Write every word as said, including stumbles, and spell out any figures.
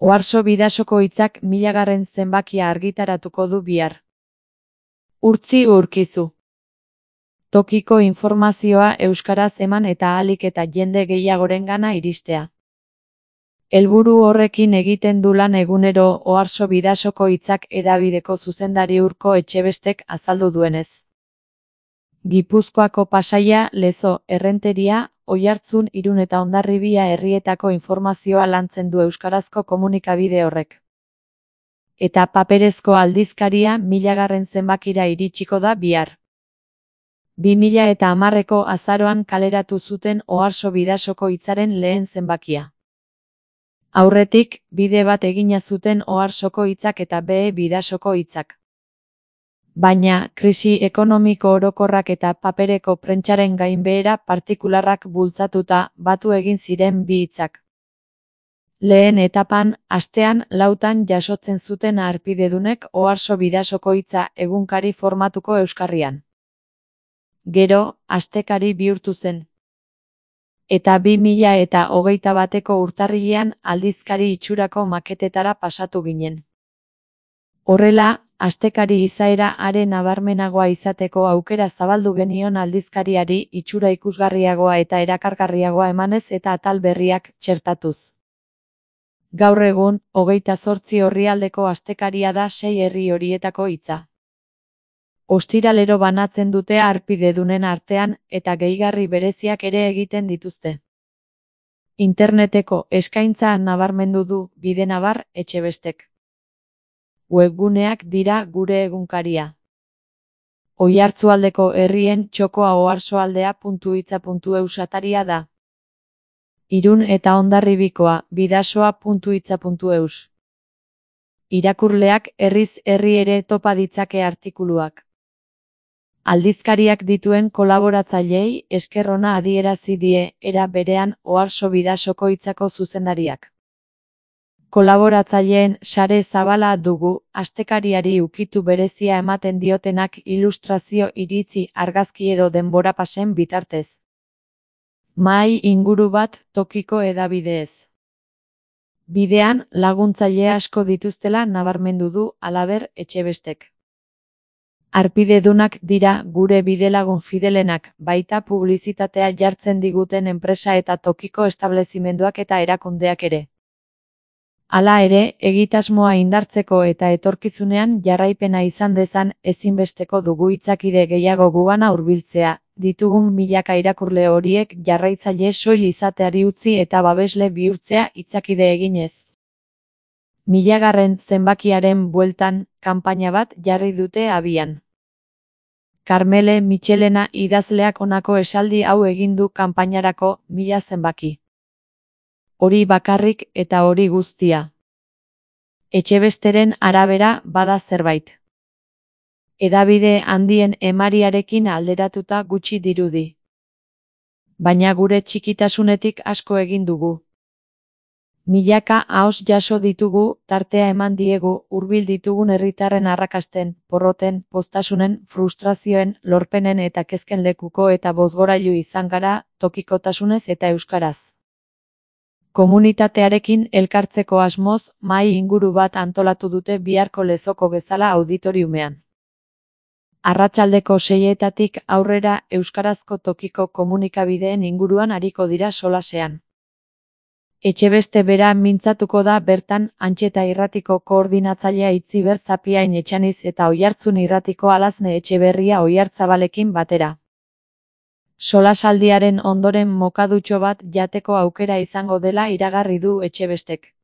Oarso Bidasoko hitzak milagarren zenbakia argitaratuko du bihar. Urtzi Urkizu. Tokiko informazioa euskaraz eman eta ahalik eta jende gehiagorengana iristea. Helburu horrekin egiten du lan egunero Oarso Bidasoko hitzak hedabideko zuzendari Urko Etxebestek azaldu duenez. Gipuzkoako Pasaia, Lezo, Errenteria, Oiartzun, Irun eta Hondarribia herrietako informazioa lantzen du euskarazko komunikabide horrek. Eta paperezko aldizkaria milagarren zenbakira iritsiko da bihar. bi mila eta hamarreko azaroan kaleratu zuten Oarso Bidasoko hitzaren lehen zenbakia. Aurretik, bide bat egina zuten Oarsoko hitzak eta B. Bidasoko hitzak. Baina, krisi ekonomiko orokorrak eta papereko prentsaren gainbehera partikularrak bultzatuta batu egin ziren bi hitzak. Lehen etapan, astean lautan jasotzen zuten harpidedunek Oarso Bidasoko hitza egunkari formatuko euskarrian. Gero, astekari bihurtu zen. Eta bi mila eta hogeita bateko urtarrilean aldizkari itxurako maketetara pasatu ginen. Horrela, astekari izaera are nabarmenagoa izateko aukera zabaldu genion aldizkariari itxura ikusgarriagoa eta erakargarriagoa emanez eta atal berriak txertatuz. Gaur egun, hogeita zortzi orrialdeko astekaria da sei herri horietako hitza. Ostiralero banatzen dute harpidedunen artean eta gehigarri bereziak ere egiten dituzte. Interneteko eskaintza nabarmendu du Bidenabar Etxebestek. Webguneak dira gure egunkaria. Oiartzualdeko herrien txokoa oarsoaldea puntu hitza puntu eus ataria da. Irun eta Hondarribikoa bidasoa puntu hitza puntu eus. Irakurleak herriz herri ere topa ditzake artikuluak. Aldizkariak dituen kolaboratzaileei esker ona adierazi die era berean Oarso Bidasoko hitzako zuzendariak. Kolaboratzaileen sare zabala dugu, astekariari ukitu berezia ematen diotenak ilustrazio, iritzi, argazki edo denbora pasen bitartez. Mahai inguru bat tokiko hedabideez. Bidean laguntzaile asko dituztela nabarmendu du halaber Etxebestek. Harpidedunak dira gure bidelagun fidelenak, baita publizitatea jartzen diguten enpresa eta tokiko establezimenduak eta erakundeak ere. Hala ere, egitasmoa indartzeko eta etorkizunean jarraipena izan dezan ezinbesteko dugu hitzakide gehiago gugana hurbiltzea, ditugun milaka irakurle horiek jarraitzaile soil izateari utzi eta babesle bihurtzea hitzakide eginez. Milagarren zenbakiaren bueltan, kanpaina bat jarri dute abian. Karmele Michelena idazleak honako esaldi hau egin du kanpainarako mila zenbaki. Hori bakarrik eta hori guztia. Etxebesteren arabera bada zerbait. Hedabide handien emariarekin alderatuta gutxi dirudi. Baina gure txikitasunetik asko egin dugu. Milaka ahoz jaso ditugu, tartea eman diegu, hurbil ditugun herritarren arrakasten, porroten, poztasunen, frustrazioen, lorpenen eta kezken lekuko eta bozgorailu izan gara, tokikotasunez eta euskaraz. Komunitatearekin elkartzeko asmoz, mahai inguru bat antolatu dute biharko Lezoko Gezala auditoriumean. Arratsaldeko seietatik aurrera euskarazko tokiko komunikabideen inguruan ariko dira solasean. Etxebeste bera mintzatuko da bertan Antxeta irratiko koordinatzailea Itziber Zapiain Etxaniz eta Oiartzun irratiko Alazne Etxeberria Oiartzabalekin batera. Solasaldiaren ondoren mokadutxo bat jateko aukera izango dela iragarri du Etxebestek.